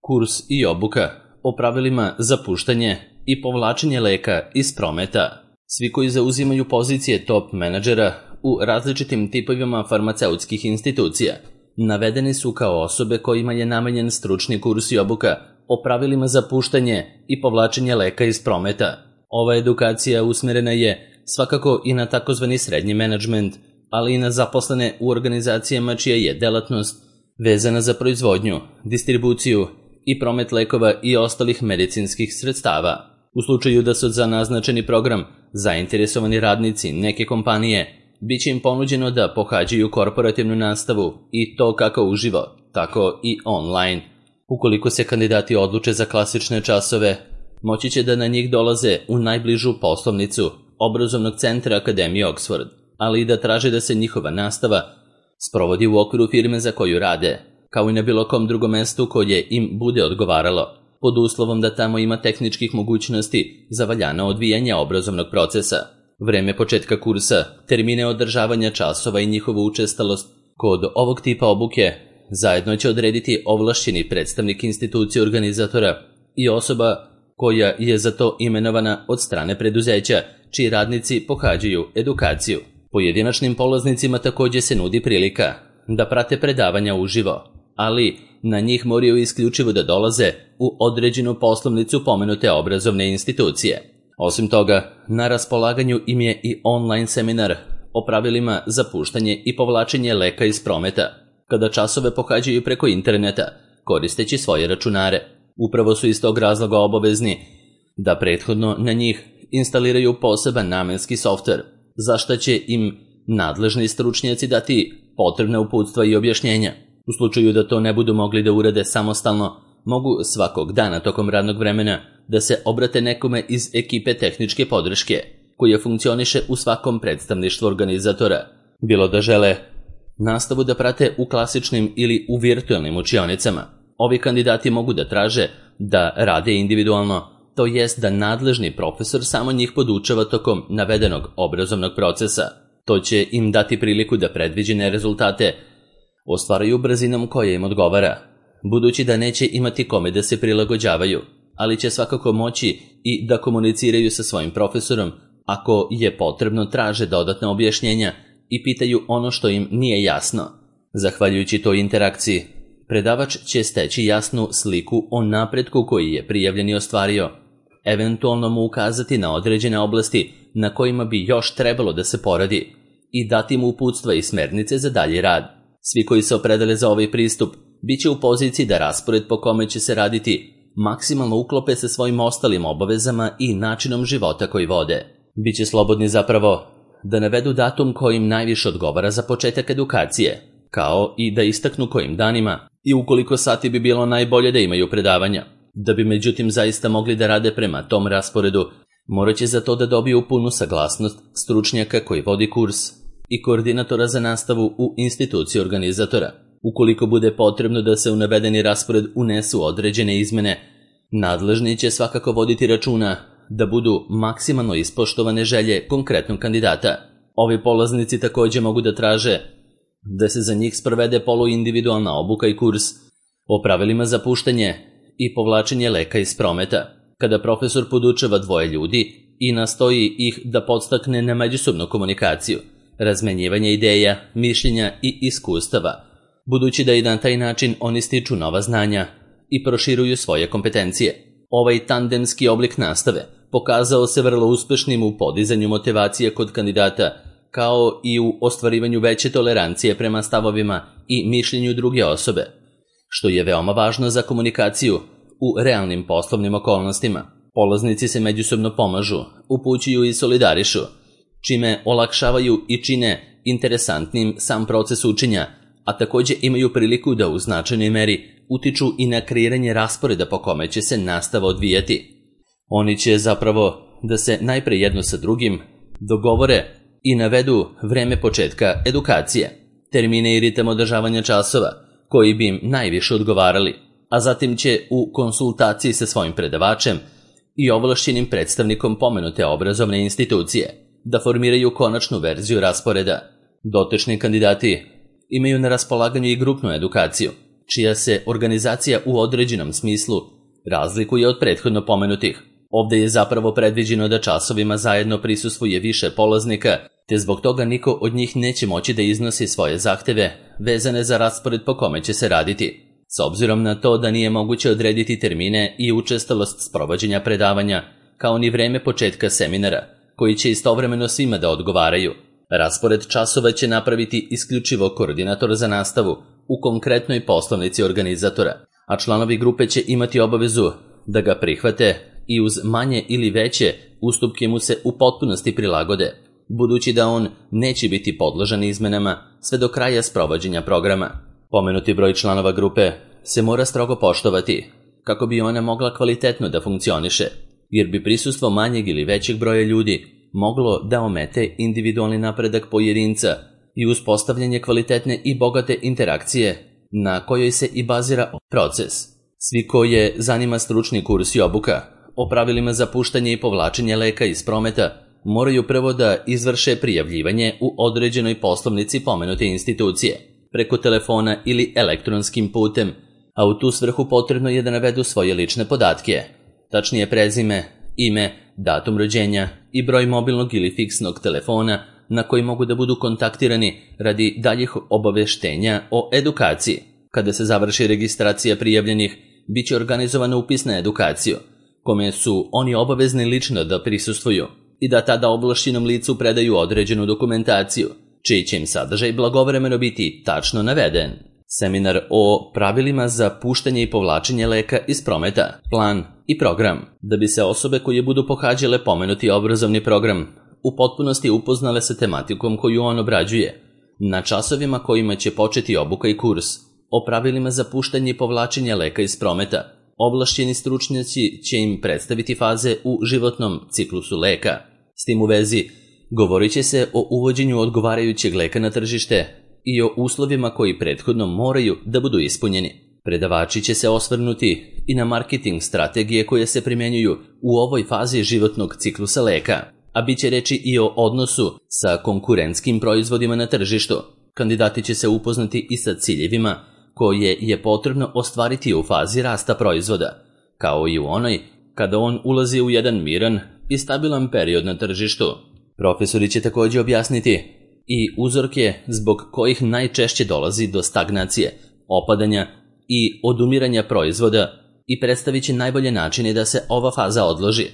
kurs i obuka o pravilima za puštanje i povlačenje leka iz prometa. Svi koji zauzimaju pozicije top menadžera u različitim tipovima farmaceutskih institucija navedeni su kao osobe kojima je namenjen stručni kurs i obuka o pravilima za puštanje i povlačenje leka iz prometa. Ova edukacija usmerena je svakako i na takozvani srednji menadžment, ali i na zaposlene u organizacijama čija je delatnost vezana za proizvodnju, distribuciju i promet lekova i ostalih medicinskih sredstava. U slučaju da su za naznačeni program zainteresovani radnici neke kompanije, bit će im ponuđeno da pohađaju korporativnu nastavu i to kako uživo, tako i online. Ukoliko se kandidati odluče za klasične časove, moći će da na njih dolaze u najbližu poslovnicu obrazovnog centra Akademije Oxford, ali i da traže da se njihova nastava sprovodi u okviru firme za koju rade, kao i na bilo kom drugom mestu koje im bude odgovaralo, pod uslovom da tamo ima tehničkih mogućnosti za valjano odvijanje obrazovnog procesa. Vreme početka kursa, termine održavanja časova i njihovu učestalost kod ovog tipa obuke zajedno će odrediti ovlašćeni predstavnik institucije organizatora i osoba koja je za to imenovana od strane preduzeća čiji radnici pohađaju edukaciju. Pojedinačnim polaznicima također se nudi prilika da prate predavanja uživo, ali na njih moraju isključivo da dolaze u određenu poslovnicu pomenute obrazovne institucije. Osim toga, na raspolaganju im je i online seminar o pravilima za puštanje i povlačenje leka iz prometa, kada časove pohađaju preko interneta, koristeći svoje računare. Upravo su iz tog razloga obavezni da prethodno na njih instaliraju poseban namenski softver, za što će im nadležni stručnjaci dati potrebna uputstva i objašnjenja. U slučaju da to ne budu mogli da urade samostalno, mogu svakog dana tokom radnog vremena da se obrate nekome iz ekipe tehničke podrške, koja funkcioniše u svakom predstavništvu organizatora. Bilo da žele nastavu da prate u klasičnim ili u virtualnim učionicama, ovi kandidati mogu da traže da rade individualno, to jest da nadležni profesor samo njih podučava tokom navedenog obrazovnog procesa. To će im dati priliku da predviđene rezultate ostvaraju brzinom koja im odgovara, budući da neće imati kome da se prilagođavaju, ali će svakako moći i da komuniciraju sa svojim profesorom ako je potrebno, traže dodatna objašnjenja i pitaju ono što im nije jasno. Zahvaljujući toj interakciji, predavač će steći jasnu sliku o napretku koji je prijavljeni ostvario, eventualno mu ukazati na određene oblasti na kojima bi još trebalo da se poradi i dati mu uputstva i smernice za dalji rad. Svi koji se opredele za ovaj pristup bit će u poziciji da raspored po kome će se raditi maksimalno uklope sa svojim ostalim obavezama i načinom života koji vode. Biće slobodni zapravo da navedu datum kojim najviše odgovara za početak edukacije, kao i da istaknu kojim danima i ukoliko sati bi bilo najbolje da imaju predavanja. Da bi međutim zaista mogli da rade prema tom rasporedu, morat će za to da dobiju punu saglasnost stručnjaka koji vodi kurs i koordinatora za nastavu u instituciji organizatora. Ukoliko bude potrebno da se u navedeni raspored unesu određene izmene, nadležni će svakako voditi računa da budu maksimalno ispoštovane želje konkretnog kandidata. Ovi polaznici također mogu da traže da se za njih sprovede poluindividualna obuka i kurs o pravilima za puštanje i povlačenje leka iz prometa, kada profesor podučava dvoje ljudi i nastoji ih da podstakne na međusobnu komunikaciju, razmenjivanje ideja, mišljenja i iskustava, budući da i na taj način oni stiču nova znanja i proširuju svoje kompetencije. Ovaj tandemski oblik nastave pokazao se vrlo uspešnim u podizanju motivacije kod kandidata, kao i u ostvarivanju veće tolerancije prema stavovima i mišljenju druge osobe, što je veoma važno za komunikaciju u realnim poslovnim okolnostima. Polaznici se međusobno pomažu, upućuju i solidarišu, čime olakšavaju i čine interesantnim sam proces učenja, a također imaju priliku da u značajnoj meri utiču i na kreiranje rasporeda po kome će se nastava odvijati. Oni će zapravo da se najpre jedno sa drugim dogovore i navedu vreme početka edukacije, termine i ritam održavanja časova koji bi im najviše odgovarali, a zatim će u konsultaciji sa svojim predavačem i ovlašćenim predstavnikom pomenute obrazovne institucije da formiraju konačnu verziju rasporeda. Dotični kandidati imaju na raspolaganju i grupnu edukaciju, čija se organizacija u određenom smislu razlikuje od prethodno pomenutih. Ovde je zapravo predviđeno da časovima zajedno prisustvuje više polaznika, te zbog toga niko od njih neće moći da iznosi svoje zahteve vezane za raspored po kome će se raditi. S obzirom na to da nije moguće odrediti termine i učestalost sprovođenja predavanja, kao ni vreme početka seminara, koji će istovremeno svima da odgovaraju, raspored časova će napraviti isključivo koordinator za nastavu u konkretnoj poslovnici organizatora, a članovi grupe će imati obavezu da ga prihvate i uz manje ili veće ustupke mu se u potpunosti prilagode, budući da on neće biti podložan izmenama sve do kraja sprovođenja programa. Pomenuti broj članova grupe se mora strogo poštovati kako bi ona mogla kvalitetno da funkcioniše, jer bi prisustvo manjeg ili većeg broja ljudi moglo da omete individualni napredak pojedinca i uspostavljanje kvalitetne i bogate interakcije na kojoj se i bazira proces. Svi koje zanima stručni kurs i obuka o pravilima za puštanje i povlačenje leka iz prometa moraju prvo da izvrše prijavljivanje u određenoj poslovnici pomenute institucije, preko telefona ili elektronskim putem, a u tu svrhu potrebno je da navedu svoje lične podatke, tačnije prezime, ime, datum rođenja i broj mobilnog ili fiksnog telefona na koji mogu da budu kontaktirani radi daljih obaveštenja o edukaciji. Kada se završi registracija prijavljenih, bit će organizovana upis na edukaciju, kome su oni obavezni lično da prisustvuju i da tada ovlašćenom licu predaju određenu dokumentaciju, čiji će im sadržaj blagovremeno biti tačno naveden. Seminar o pravilima za puštanje i povlačenje leka iz prometa, plan i program, da bi se osobe koje budu pohađale pomenuti obrazovni program u potpunosti upoznale sa tematikom koju on obrađuje. Na časovima kojima će početi obuka i kurs o pravilima za puštanje i povlačenje leka iz prometa, ovlašćeni stručnjaci će im predstaviti faze u životnom ciklusu leka. S tim u vezi, govorit će se o uvođenju odgovarajućeg leka na tržište i o uslovima koji prethodno moraju da budu ispunjeni. Predavači će se osvrnuti i na marketing strategije koje se primjenjuju u ovoj fazi životnog ciklusa leka, a bit će reći i o odnosu sa konkurentskim proizvodima na tržištu. Kandidati će se upoznati i sa ciljevima koje je potrebno ostvariti u fazi rasta proizvoda, kao i u onoj kada on ulazi u jedan miran i stabilan period na tržištu. Profesori će također objasniti i uzorke zbog kojih najčešće dolazi do stagnacije, opadanja i odumiranja proizvoda i predstavit će najbolje načine da se ova faza odloži,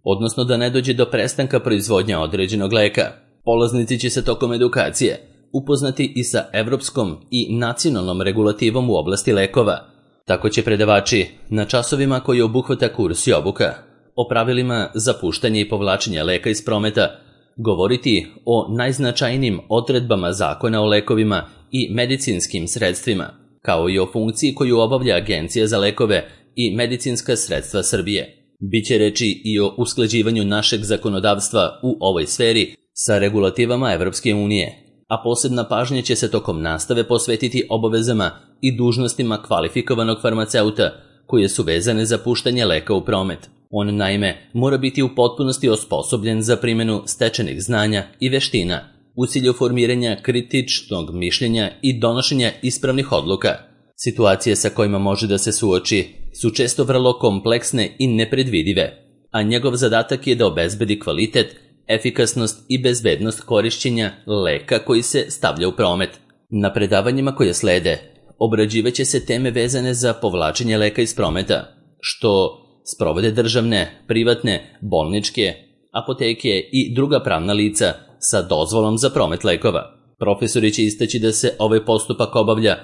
odnosno da ne dođe do prestanka proizvodnja određenog leka. Polaznici će se tokom edukacije upoznati i sa evropskom i nacionalnom regulativom u oblasti lekova. Tako će predavači na časovima koji obuhvata kurs i obuka o pravilima za puštanje i povlačenje leka iz prometa govoriti o najznačajnijim odredbama zakona o lekovima i medicinskim sredstvima, kao i o funkciji koju obavlja Agencija za lekove i medicinska sredstva Srbije. Biće reči i o usklađivanju našeg zakonodavstva u ovoj sferi sa regulativama Evropske unije, a posebna pažnja će se tokom nastave posvetiti obavezama i dužnostima kvalifikovanog farmaceuta koje su vezane za puštanje leka u promet. On naime mora biti u potpunosti osposobljen za primjenu stečenih znanja i veština u cilju formiranja kritičnog mišljenja i donošenja ispravnih odluka. Situacije sa kojima može da se suoči su često vrlo kompleksne i nepredvidive, a njegov zadatak je da obezbedi kvalitet, efikasnost i bezbednost korišćenja leka koji se stavlja u promet. Na predavanjima koje slede obrađivaće se teme vezane za povlačenje leka iz prometa, što sprovode državne, privatne, bolničke, apoteke i druga pravna lica sa dozvolom za promet lekova. Profesori će istaći da se ovaj postupak obavlja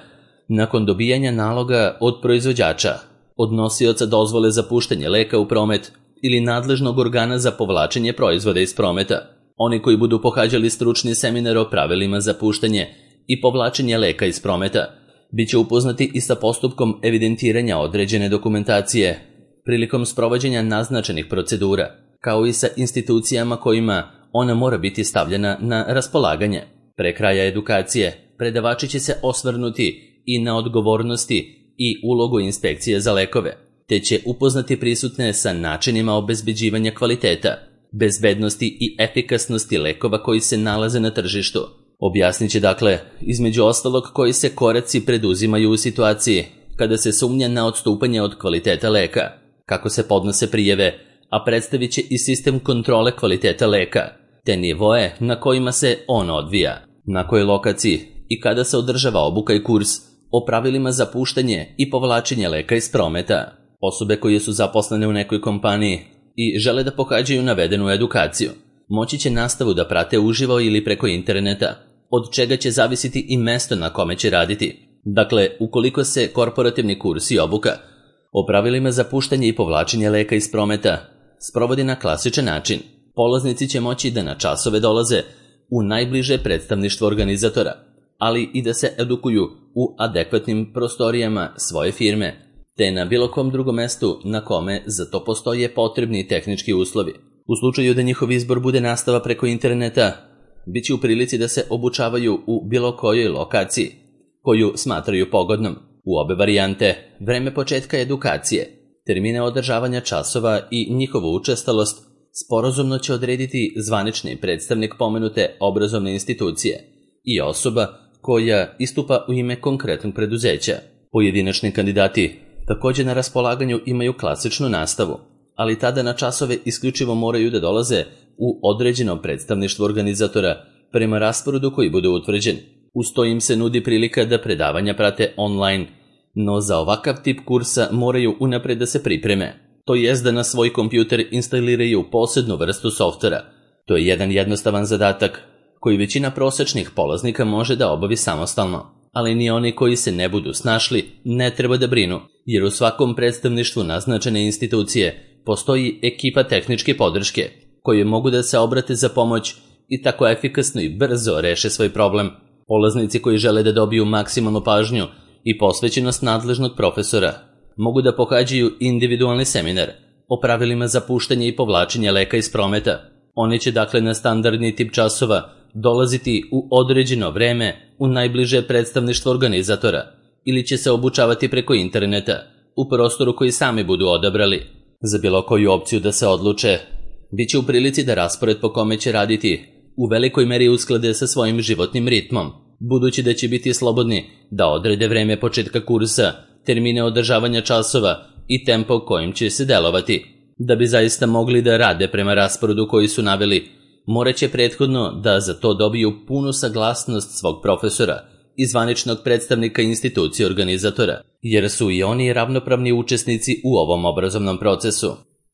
nakon dobijanja naloga od proizvođača, od nosioca dozvole za puštanje leka u promet ili nadležnog organa za povlačenje proizvoda iz prometa. Oni koji budu pohađali stručni seminar o pravilima za puštanje i povlačenje leka iz prometa bit će upoznati i sa postupkom evidentiranja određene dokumentacije prilikom sprovođenja naznačenih procedura, kao i sa institucijama kojima ona mora biti stavljena na raspolaganje. Pre kraja edukacije predavači će se osvrnuti i na odgovornosti i ulogu inspekcije za lekove, te će upoznati prisutne sa načinima obezbeđivanja kvaliteta, bezbednosti i efikasnosti lekova koji se nalaze na tržištu. Objasnit će dakle, između ostalog, koji se koraci preduzimaju u situaciji kada se sumnja na odstupanje od kvaliteta leka, kako se podnose prijave, a predstavit će i sistem kontrole kvaliteta leka, te nivoe na kojima se on odvija, na kojoj lokaciji i kada se održava obuka i kurs o pravilima za puštanje i povlačenje leka iz prometa. Osobe koje su zaposlene u nekoj kompaniji i žele da pohađaju navedenu edukaciju, moći će nastavu da prate uživo ili preko interneta, od čega će zavisiti i mesto na kome će raditi. Dakle, ukoliko se korporativni kurs i obuka o pravilima za puštanje i povlačenje leka iz prometa sprovodi na klasičan način, polaznici će moći da na časove dolaze u najbliže predstavništvo organizatora, ali i da se edukuju u adekvatnim prostorijama svoje firme, te na bilo kom drugom mestu na kome za to postoje potrebni tehnički uslovi. U slučaju da njihov izbor bude nastava preko interneta, bit će u prilici da se obučavaju u bilo kojoj lokaciji koju smatraju pogodnom. U obe varijante, vreme početka edukacije, termine održavanja časova i njihovu učestalost sporazumno će odrediti zvanični predstavnik pomenute obrazovne institucije i osoba koja istupa u ime konkretnog preduzeća. Pojedinačni kandidati također na raspolaganju imaju klasičnu nastavu, ali tada na časove isključivo moraju da dolaze u određeno predstavništvo organizatora prema rasporedu koji bude utvrđen. Uz to im se nudi prilika da predavanja prate online, no za ovakav tip kursa moraju unapred da se pripreme, to jest da na svoj kompjuter instaliraju posebnu vrstu softvera. To je jedan jednostavan zadatak koji većina prosečnih polaznika može da obavi samostalno, ali ni oni koji se ne budu snašli ne treba da brinu, jer u svakom predstavništvu naznačene institucije postoji ekipa tehničke podrške koje mogu da se obrate za pomoć i tako efikasno i brzo reše svoj problem. Polaznici koji žele da dobiju maksimalnu pažnju i posvećenost nadležnog profesora mogu da pohađaju individualni seminar o pravilima za puštanje i povlačenje leka iz prometa. Oni će dakle na standardni tip časova dolaziti u određeno vreme u najbliže predstavništvo organizatora ili će se obučavati preko interneta u prostoru koji sami budu odabrali. Za bilo koju opciju da se odluče, bit će u prilici da raspored po kome će raditi u velikoj meri usklade sa svojim životnim ritmom, budući da će biti slobodni da odrede vreme početka kursa, termine održavanja časova i tempo kojim će se delovati. Da bi zaista mogli da rade prema rasporedu koji su naveli, morat će prethodno da za to dobiju punu saglasnost svog profesora i zvaničnog predstavnika institucije organizatora, jer su i oni ravnopravni učesnici u ovom obrazovnom procesu.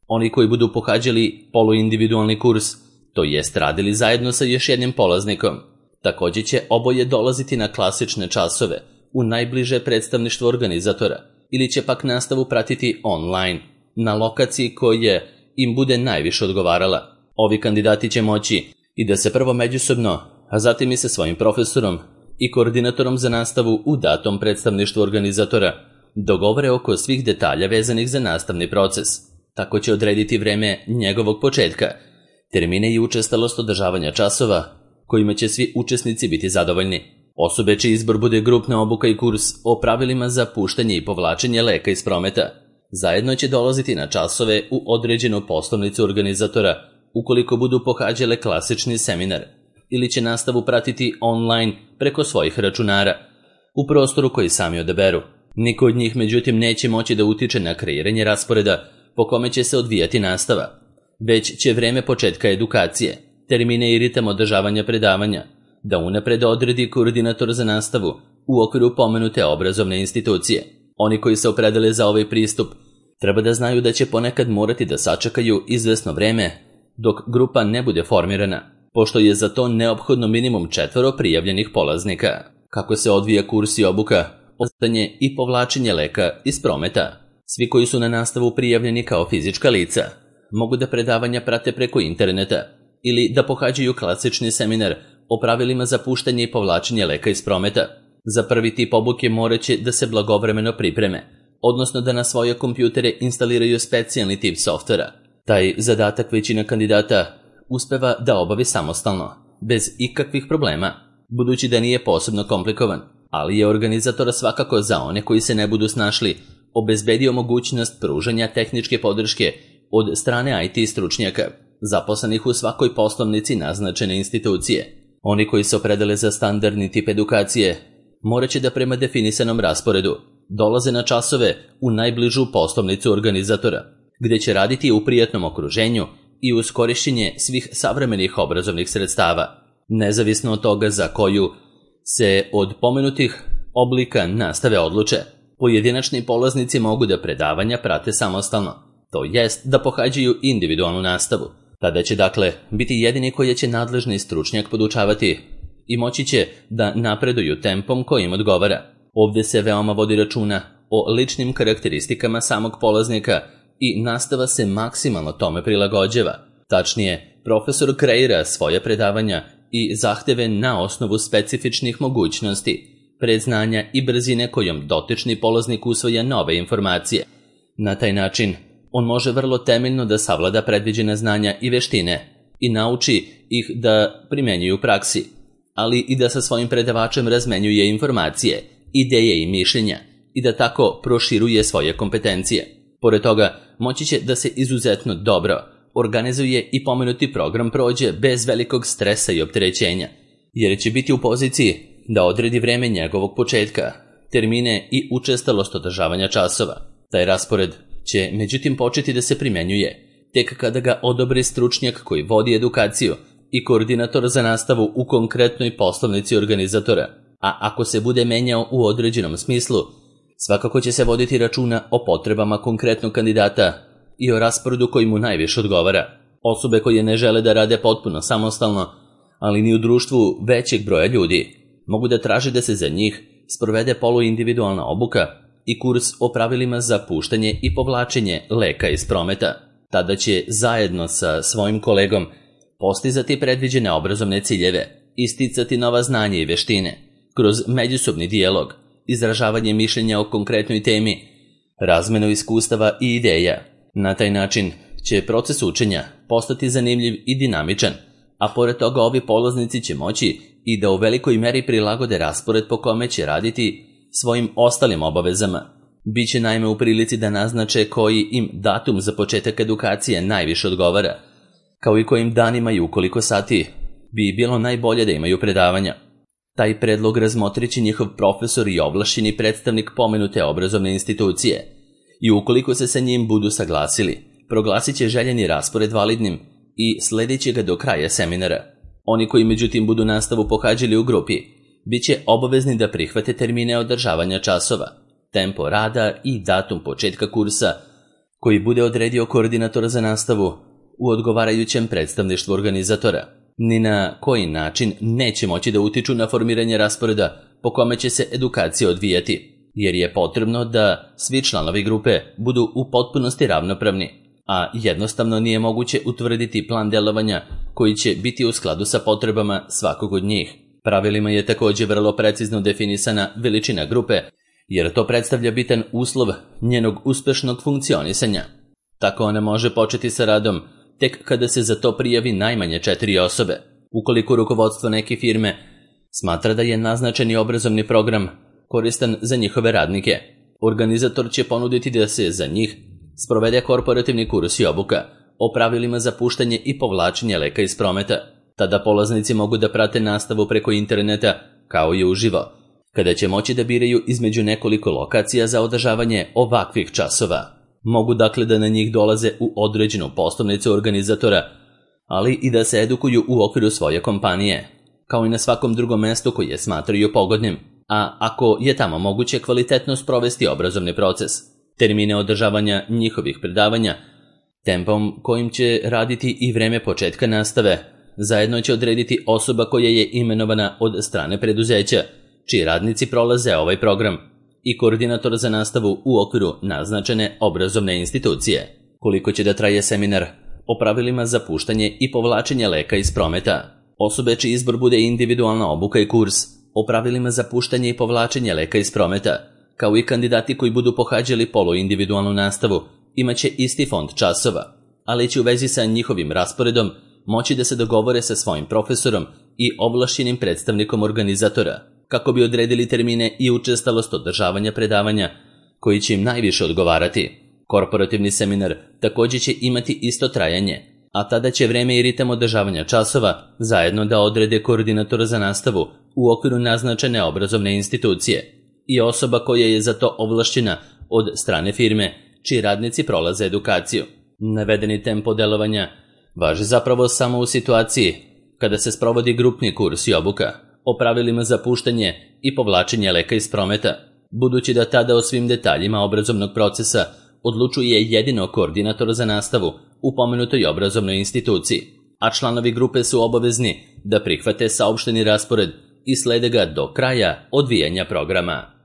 Oni koji budu pohađali poluindividualni kurs, to jest radili zajedno sa još jednim polaznikom, također će oboje dolaziti na klasične časove u najbliže predstavništvo organizatora ili će pak nastavu pratiti online na lokaciji koja im bude najviše odgovarala. Ovi kandidati će moći i da se prvo međusobno, a zatim i sa svojim profesorom i koordinatorom za nastavu u datom predstavništvu organizatora dogovore oko svih detalja vezanih za nastavni proces. Tako će odrediti vreme njegovog početka, termine i učestalost održavanja časova kojima će svi učesnici biti zadovoljni. Osobe čiji izbor bude grupna obuka i kurs o pravilima za puštanje i povlačenje leka iz prometa zajedno će dolaziti na časove u određenu poslovnicu organizatora ukoliko budu pohađale klasični seminar ili će nastavu pratiti online preko svojih računara u prostoru koji sami odaberu. Niko od njih međutim neće moći da utiče na kreiranje rasporeda po kome će se odvijati nastava, već će vreme početka edukacije, termine i ritam održavanja predavanja da unapred odredi koordinator za nastavu u okviru pomenute obrazovne institucije. Oni koji se opredele za ovaj pristup treba da znaju da će ponekad morati da sačekaju izvesno vreme dok grupa ne bude formirana, pošto je za to neophodno minimum 4 prijavljenih polaznika. Kako se odvija kurs i obuka, puštanje i povlačenje leka iz prometa. Svi koji su na nastavu prijavljeni kao fizička lica mogu da predavanja prate preko interneta ili da pohađaju klasični seminar o pravilima za puštanje i povlačenje leka iz prometa. Za prvi tip obuke morat će da se blagovremeno pripreme, odnosno da na svoje kompjutere instaliraju specijalni tip softvera. Taj zadatak većina kandidata uspeva da obavi samostalno, bez ikakvih problema, budući da nije posebno komplikovan, ali je organizator svakako za one koji se ne budu snašli obezbedio mogućnost pružanja tehničke podrške od strane IT stručnjaka, zaposlenih u svakoj poslovnici naznačene institucije. Oni koji se opredele za standardni tip edukacije morat će da prema definisanom rasporedu dolaze na časove u najbližu poslovnicu organizatora, gde će raditi u prijatnom okruženju i uz korišćenje svih savremenih obrazovnih sredstava, nezavisno od toga za koju se od pomenutih oblika nastave odluče. Pojedinačni polaznici mogu da predavanja prate samostalno, to jest da pohađaju individualnu nastavu. Tada će dakle biti jedini koji će nadležni stručnjak podučavati i moći će da napreduju tempom koji im odgovara. Ovdje se veoma vodi računa o ličnim karakteristikama samog polaznika i nastava se maksimalno tome prilagođava. Tačnije, profesor kreira svoje predavanja i zahteve na osnovu specifičnih mogućnosti, predznanja i brzine kojom dotični polaznik usvaja nove informacije. Na taj način, on može vrlo temeljno da savlada predviđena znanja i veštine i nauči ih da primenjuju u praksi, ali i da sa svojim predavačem razmenjuje informacije, ideje i mišljenja i da tako proširuje svoje kompetencije. Pored toga, moći će da se izuzetno dobro organizuje i pomenuti program prođe bez velikog stresa i opterećenja, jer će biti u poziciji da odredi vreme njegovog početka, termine i učestalost održavanja časova. Taj raspored će međutim početi da se primjenjuje tek kada ga odobri stručnjak koji vodi edukaciju i koordinator za nastavu u konkretnoj poslovnici organizatora, a ako se bude menjao u određenom smislu, svakako će se voditi računa o potrebama konkretnog kandidata i o rasporedu koji mu najviše odgovara. Osobe koje ne žele da rade potpuno samostalno, ali ni u društvu većeg broja ljudi, mogu da traže da se za njih sprovede poluindividualna obuka i kurs o pravilima za puštanje i povlačenje leka iz prometa. Tada će zajedno sa svojim kolegom postizati predviđene obrazovne ciljeve, isticati nova znanja i veštine, kroz međusobni dijalog, izražavanje mišljenja o konkretnoj temi, razmenu iskustava i ideja. Na taj način će proces učenja postati zanimljiv i dinamičan, a pored toga ovi polaznici će moći i da u velikoj meri prilagode raspored po kome će raditi svojim ostalim obavezama. Biće naime u prilici da naznače koji im datum za početak edukacije najviše odgovara, kao i kojim danima i u koliko sati bi bilo najbolje da imaju predavanja. Taj predlog razmotrit će njihov profesor i ovlašćeni predstavnik pomenute obrazovne institucije i ukoliko se sa njim budu saglasili, proglasit će željeni raspored validnim i sledit će ga do kraja seminara. Oni koji međutim budu nastavu pohađali u grupi, bit će obavezni da prihvate termine održavanja časova, tempo rada i datum početka kursa koji bude odredio koordinator za nastavu u odgovarajućem predstavništvu organizatora. Ni na koji način neće moći da utiču na formiranje rasporeda po kome će se edukacija odvijati, jer je potrebno da svi članovi grupe budu u potpunosti ravnopravni, a jednostavno nije moguće utvrditi plan delovanja koji će biti u skladu sa potrebama svakog od njih. Pravilima je također vrlo precizno definisana veličina grupe, jer to predstavlja bitan uslov njenog uspešnog funkcionisanja. Tako ona može početi sa radom tek kada se za to prijavi najmanje 4 osobe. Ukoliko rukovodstvo neke firme smatra da je naznačeni obrazovni program koristan za njihove radnike, organizator će ponuditi da se za njih sprovede korporativni kurs i obuka o pravilima za puštanje i povlačenje leka iz prometa. Tada polaznici mogu da prate nastavu preko interneta kao i uživo, kada će moći da biraju između nekoliko lokacija za održavanje ovakvih časova. Mogu dakle da na njih dolaze u određenu poslovnicu organizatora, ali i da se edukuju u okviru svoje kompanije, kao i na svakom drugom mestu koje smatraju pogodnim, a ako je tamo moguće kvalitetno sprovesti obrazovni proces. Termine održavanja njihovih predavanja, tempom kojim će raditi i vreme početka nastave, zajedno će odrediti osoba koja je imenovana od strane preduzeća, čiji radnici prolaze ovaj program, i koordinator za nastavu u okviru naznačene obrazovne institucije. Koliko će da traje seminar o pravilima za puštanje i povlačenje leka iz prometa. Osobe čiji izbor bude individualna obuka i kurs o pravilima za puštanje i povlačenje leka iz prometa, kao i kandidati koji budu pohađali poluindividualnu nastavu, imaće isti fond časova, ali će u vezi sa njihovim rasporedom moći da se dogovore sa svojim profesorom i ovlašćenim predstavnikom organizatora, kako bi odredili termine i učestalost održavanja predavanja koji će im najviše odgovarati. Korporativni seminar također će imati isto trajanje, a tada će vreme i ritam održavanja časova zajedno da odrede koordinator za nastavu u okviru naznačene obrazovne institucije i osoba koja je za to ovlašćena od strane firme, čiji radnici prolaze edukaciju. Navedeni tempo delovanja važi zapravo samo u situaciji kada se sprovodi grupni kurs i obuka o pravilima za puštanje i povlačenje leka iz prometa, budući da tada o svim detaljima obrazovnog procesa odlučuje jedino koordinator za nastavu u pomenutoj obrazovnoj instituciji, a članovi grupe su obavezni da prihvate saopšteni raspored i slede ga do kraja odvijanja programa.